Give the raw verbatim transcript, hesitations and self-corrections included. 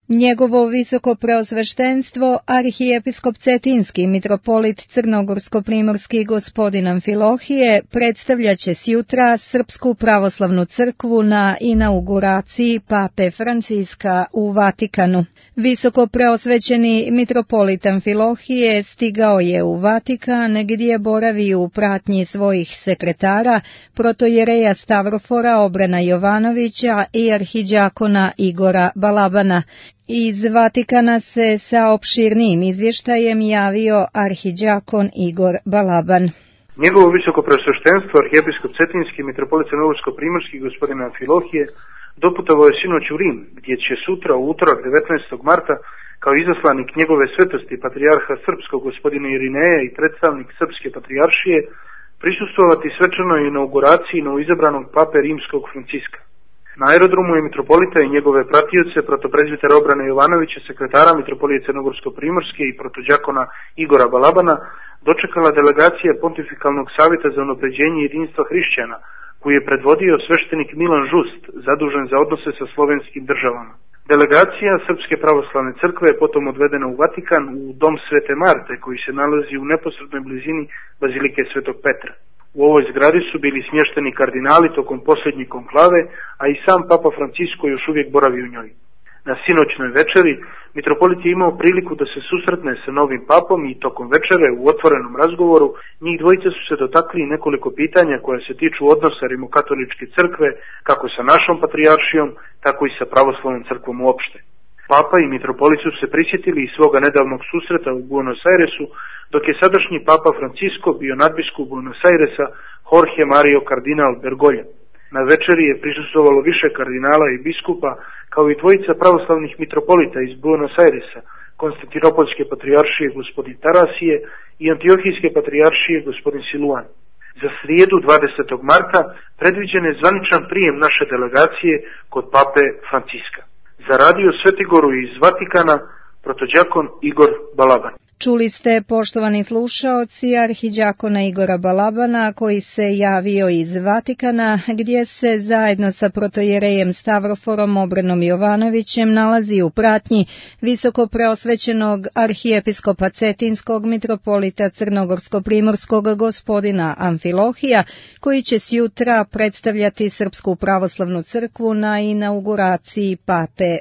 Njegovo visoko preosveštenstvo, arhijepiskop Cetinski mitropolit Crnogorsko-primorski gospodin Amfilohije, predstavljat će sjutra Srpsku pravoslavnu crkvu na inauguraciji Pape Franciska u Vatikanu. Visoko preosvećeni mitropolit Amfilohije stigao je u Vatikan, gdje boravi u pratnji svojih sekretara, protojereja Stavrofora Obrana Jovanovića i arhiđakona Igora Balabana. Iz Vatikana se sa opširnijim izvještajem javio arhiđakon Igor Balaban. Njegovo visoko preosveštenstvo, arhijepiskop Cetinski mitropolit Crnogorsko-primorski gospodin Amfilohije, doputovao je sinoć u Rim, gdje će sutra u utorak devetnaestog marta kao izaslanik njegove svetosti patrijarha srpskog gospodina Irineja i predstavnik srpske patrijaršije prisustvovati svečanoj inauguraciji novoizabranog pape rimskog Franciska. Na aerodromu je mitropolita i njegove pratioce, protoprezbitera Obrana Jovanovića, sekretara mitropolije Crnogorsko-primorske i protođakona Igora Balabana, dočekala delegacija Pontifikalnog savjeta za unapređenje jedinstva hrišćana, koji je predvodio sveštenik Milan Žust, zadužen za odnose sa slovenskim državama. Delegacija Srpske pravoslavne crkve je potom odvedena u Vatikan, u dom Svete Marte, koji se nalazi u neposrednoj blizini bazilike Svetog Petra. U ovoj zgradi su bili smješteni kardinali tokom posljednje konklave, a i sam Papa Francisko još uvijek boravi u njoj. Na sinoćnoj večeri mitropolit je imao priliku da se susretne sa novim papom i tokom večere u otvorenom razgovoru njih dvojica su se dotakli nekoliko pitanja koja se tiču odnosa rimokatoličke crkve kako sa našom patrijaršijom, tako i sa pravoslavnom crkvom uopšte. Papa i mitropolit su se prisjetili i svoga nedavnog susreta u Buenos Airesu, dok je sadašnji Papa Francisko bio nadbiskup Buenos Airesa Jorge Mario Kardinal Bergoglja. Na večeri je prisustvovalo više kardinala i biskupa, kao i dvojica pravoslavnih mitropolita iz Buenos Airesa, Konstantinopolske patrijaršije gospodin Tarasije i Antiohijske patrijaršije gospodin Siluan. Za srijedu dvadesetog marta predviđen je zvaničan prijem naše delegacije kod Pape Franciska. Za radio Svetigoru iz Vatikana, protođakon Igor Balaban. Čuli ste, poštovani slušaoci, arhiđakona Igora Balabana, koji se javio iz Vatikana, gdje se zajedno sa protojerejem Stavroforom Obranom Jovanovićem nalazi u pratnji visoko preosvećenog arhijepiskopa Cetinskog mitropolita Crnogorsko-primorskog gospodina Amfilohija, koji će sjutra predstavljati Srpsku pravoslavnu crkvu na inauguraciji Pape